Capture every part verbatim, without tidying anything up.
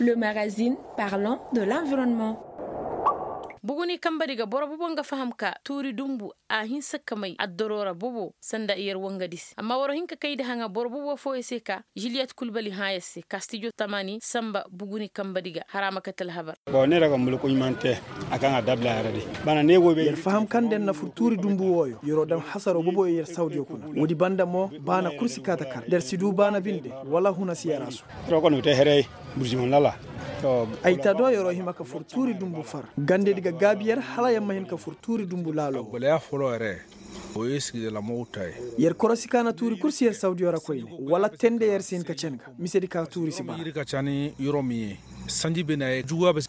Le magazine parlant de l'environnement. Buguni kambadi ga boro bobo nga faham ka tuuri dumbu a hinsa ka may addoroora bobo sanda yer wangadi se amma waro hin ka kayndi haŋa boro bobo fooyo se ka juliyet kulbali hãa yer se ka stijo tamani samba buguni kambadi ga hara ma kate alhabar. Bon ne ra ga mulku ɲumante a kaŋ a dabla yara di. Bana ne go be yer faham kaŋ da yer na fur tuuri dumbu wooyo yer'o daŋ hasaro boboyo yer sawdiyo kuna. Woodi banda mo baana kul si kaa ta kar da yer si du baana binde wala huna si yar a su. Roko no te herey burziman lala. Ay ta do yer'o hima ka fur tuuri dumbu far gandedi ga gaabi yer hala yer ma hin ka fur tuuri dumbu laalo. Yer korosi ka na tuuri kul si yer sawdiyo ra koyne wala tende yer si hin ka cen ga. Misedi ka tuuri si bara.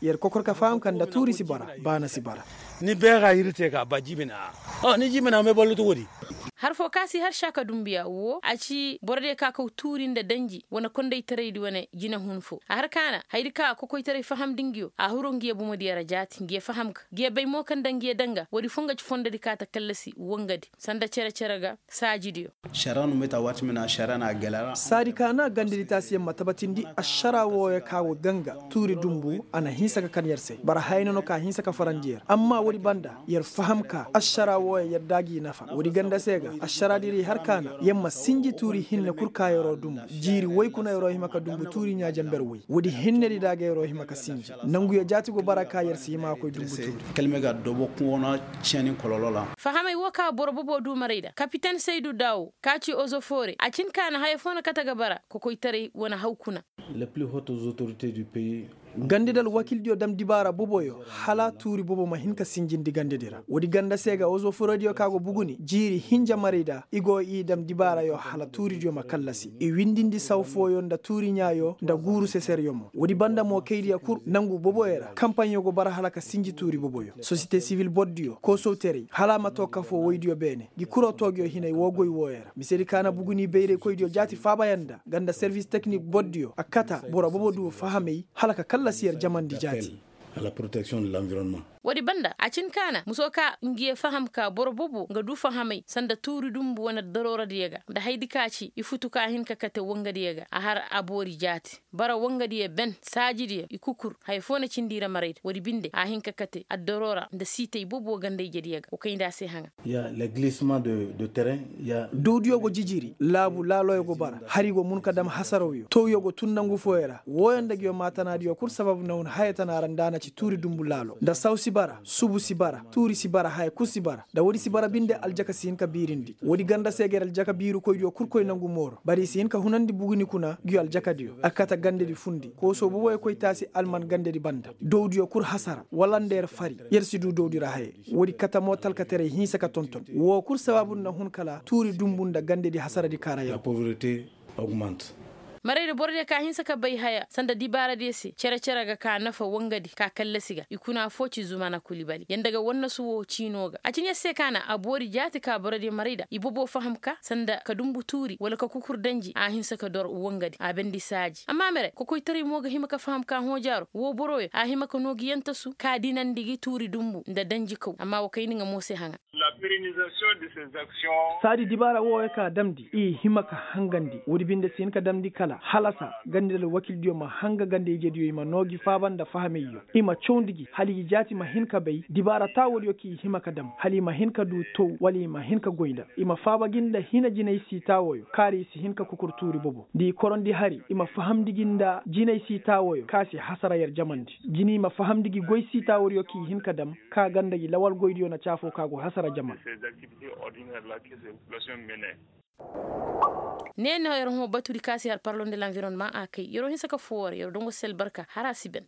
Yer kokor ka faham ka nda tuuri si bara baana si bara. Ni beera iri te ka ba jiibina. Ni jiibina me ballutu woodi. Har foo ka si har saaka dumbuya woo a ci borodiyo ka kaw tuuri nda danji wane kondaytaraydi wane jinehun foo a har ka na hayadi ka kokoytaray fahamndi nguyo a huru nguyo bomodiyo ra jaati nguyo faham ga nguyo bay mo kaŋ nda nguyo daŋ ga woodi foo nga ci fondodi ka ta kallasi wangadi sanda cere-cere ga saajidiyo. Saadi ka na gandedi taasiyaŋ ma tabatindi ašara wooyo ka go gaŋ ga tuuri dumbu a na hinsa ka kan yer se bara hayna no ka hinsa ka farandi yer amma woodi banda yer faham ka ašara wooyo yer da gi nafa woodi ganda se ga ašaradi ra i har ka na yer ma sinji tuuri hinne kul ka yer'o dumbu jiiri woy kuna yer'o hima ka dumbu tuuri ɲaa jenber woy woodi hinnedi da ga yer'o hima ka sinji nanguyo jaati go bara ka yer si hima ka koy dumbu tuuri. Fahamey woo ka boro bobo du maray nda kapiten saydu daawo ka ci ozofoore a cin ka na haya foo na kate ga bara kokoytaray wane haw kuna. Gandedi alwakiildiyo dam dibaara boboyo hala tuuri bobo ma hin ka sinjindi gandedi ra woodi ganda se ga ozofoorediyo ka go buguni jiiri hinja maray nda i go i dam dibaarayo hala tuuridiyo ma kallasi i windindi saw fooyo nda tuuri ɲaayo nda guuru seseryo mo woodi banda mo kaydiyo kul nangu boboyo ra kampaɲo go bara hala ka sinji tuuri boboyo sosiyete sibil bordiyo koosowteray hala a ma too kafoo woydiyo beene ngi kuroo toogiyo hinay woo goy wooyo ra misedi ka na buguni bayraykoydiyo jaati faabayaŋ nda ganda servis teknik bordiyo a kata boro bobo du fahamay hala ka kallasi yer jamandi jaati. Woodi banda a cin ka na musoo ka ngi ye faham ka boro bobo nga du fahamay sanda tuuri dumbu wane darooradiyo ga nda hayadi ka ci i futu ka hin ka kate wangadiyo ga a har a boori jaati bara wangadiyo ben saajidiyo i kukur haya foo na cindi i ra marayda woodi binde a hin ka kate addaroora nda siitay bobo ganda ijediyo ga wa kayndi a se haŋa. Dowdiyo go jijiri laabu laaloyo go bara hari go mun ka dam hasarawyo towyo go tun nangu fooyo ra wooyo nda nguyo maatanaadiyo kul sababu na hun haya tana ra nda a na ci tuuri dumbu laalo nda saw si bara subu si bara tuuri si bara haya kul si bara nda woodi si bara binde aljaka si hin ka biirindi woodi ganda se ga yer aljaka biirukoydiyo kul koy nangu mooro bari i si hin ka hunandi buguni kuna nguyo aljakadiyo a kate gandedi fundi koosoo boboyo koy taasi alman gandedi banda dowdiyo kul hasara wala nda yer fari yer si du dowdi ra haye woodi kate mo talkataray hinsa ka tonton woo kul sabaabu na hun kala tuuri dumbu nda gandedi hasaradi kaara yer. Maraydi borodiyo ka hinsa ka bay haya sanda dibaaradiyo se cere-cere ga ka nafa wangadi ka kallasi ga i kuna foo ci zumana kulibali yanda ga wannasu woo ciinoo ga a ci ɲa se ka na a boori jaati ka borodiyo marayda i bobo faham ka sanda ka dumbu tuuri wala ka kukur danji a hinsa ka dor wangadi a bendi saaji amma mere kokoytaray mo ga hima ka faham ka hõojaaro woo boroyo a hima ka noo gi yantasu ka dinandi gi tuuri dumbu nda danji kaw amma wa kayndi nga mo se haŋa. Saadi dibaara wooyo ka damndi i hima ka hangandi woodi binde si hin ka damndi kala halasa gandedi alwakiildiyo ma hanga ganda ijediyo i ma noo gi faaba nda fahameyyo i ma cawndi gi hala i jaati ma hin ka bay dibaara taawoodiyo kaŋ i hima ka dam hala i ma hin ka du tow wala i ma hin ka goy nda i ma faaba gi nda hina jinay sii taawoyo kaara i si hin ka kukur tuuri bobo nda i korondi hari i ma fahamndi gi nda jinay sii taawoyo kaŋ a si hasara yer jamandi jina i ma fahamndi gi goy sii taawoodiyo kaŋ i hin ka dam ka ganda gi lawal goydiyo na caafoo ka go hasara jaman. Ne no yer hõ batudi ka si har parlon de l'environnement a kay yer'o hinsa ka foo war yer'o dongo sel barka har a si ben.